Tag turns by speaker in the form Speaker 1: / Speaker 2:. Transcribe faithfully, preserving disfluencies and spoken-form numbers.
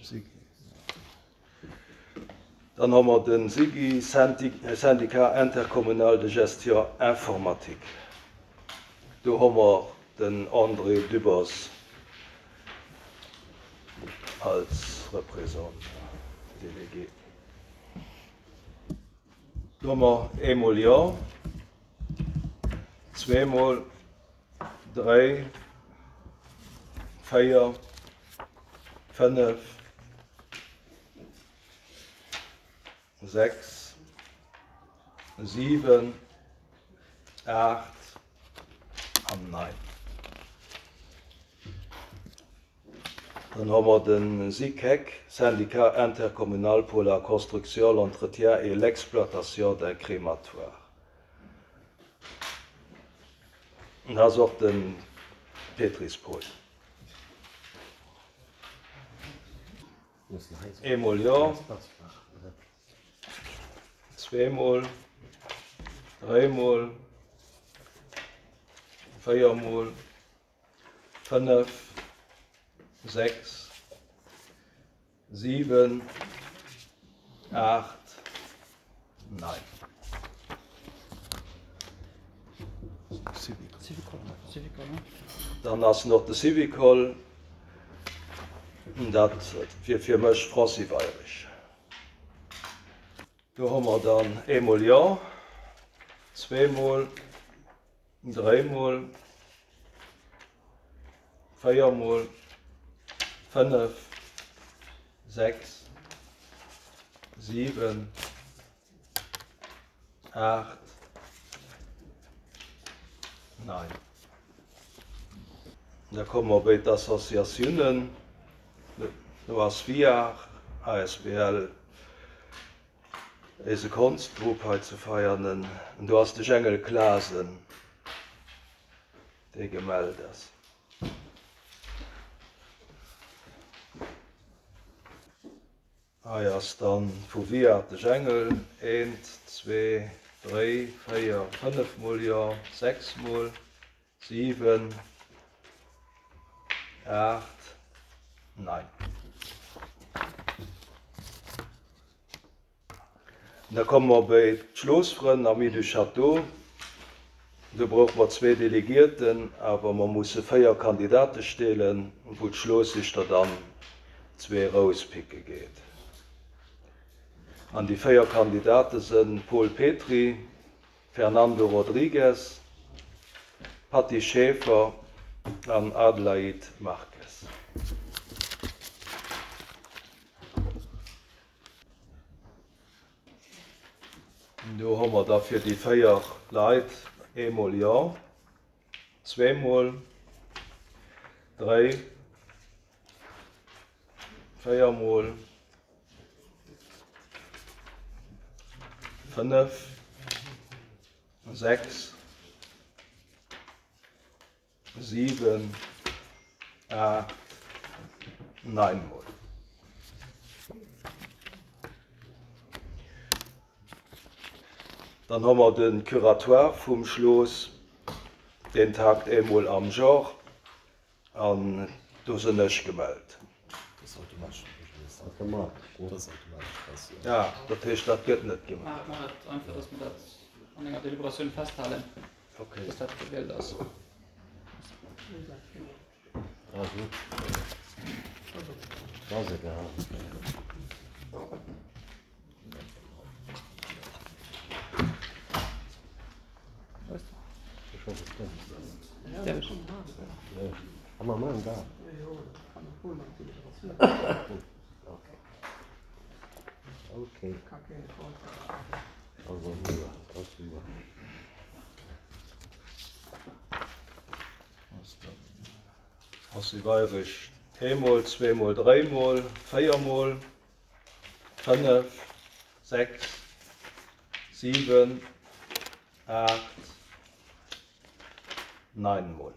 Speaker 1: SIGI. Dann hu mer de SIGI, Syndicat Intercommunal de Gestion Informatique. Do hu mer den André Dübbers als Représentant délégué. Do hu mer eemol Jo, zweemol, dräi, véier, fënnef, sechs, siwen, aacht an nein. Dann hu mer de SICEC, Syndicat Intercommunal pour la construction, l'entretien et l'exploitation d'un crématoire. Dat ass och de Petris Paul. Eemol Jo, zweemol, dräimol, véiermol, fënnef, sechs, siwen, aacht, nein. Dann ass nach de Syvicol, dat wier fir mech Francis Weyrich. Do hu mer dann eemol Jo, zweemol, dräimol, véiermol, fënnef, sechs, siwen, aacht, nein. Da komme mer bei d'Associatiounen. Do ass VIAR asbl, eise Konschtgrupp hei zu Veianen. An do ass de Jengel Clasen, dee gemellt ass. Hei ass dann vu VIAR de Jengel, eent, zwee, dréi, véier, fënnef mol Jo, sechs mol, siwen, aacht, nein. Da komme mer bei d'Schlossfrënn, Amis du Château. Do brauche mer zwee Delegierten, awer mer musse véier Kandidate stellen, wou d'Schlossichter dann zwee erauspicke geet. An déi véier Kandidate sinn Paul Petry, Fernando Rodrigues, Patty Schaefer an Adelaide Marques. Do hu mer da fir déi véier Leit eemol Jo, zweemol, dréi, véiermol, fënnef, sechs, siwen, aacht, nein mol. Dann hu mer de Curatoire vum Schloss, deen tagt eemol am Joer an do sinn ech gemellt. Ah, dat heescht, dat gëtt net gemaach.
Speaker 2: Maache mer et einfach, dass mer dat an enger Deliberatioun festhalen, dass dat gewielt ass.
Speaker 1: Ass Weyrich eemol, zweemol, dréimol, véiermol, fënnef, sechs, siwen, aacht, nein mol.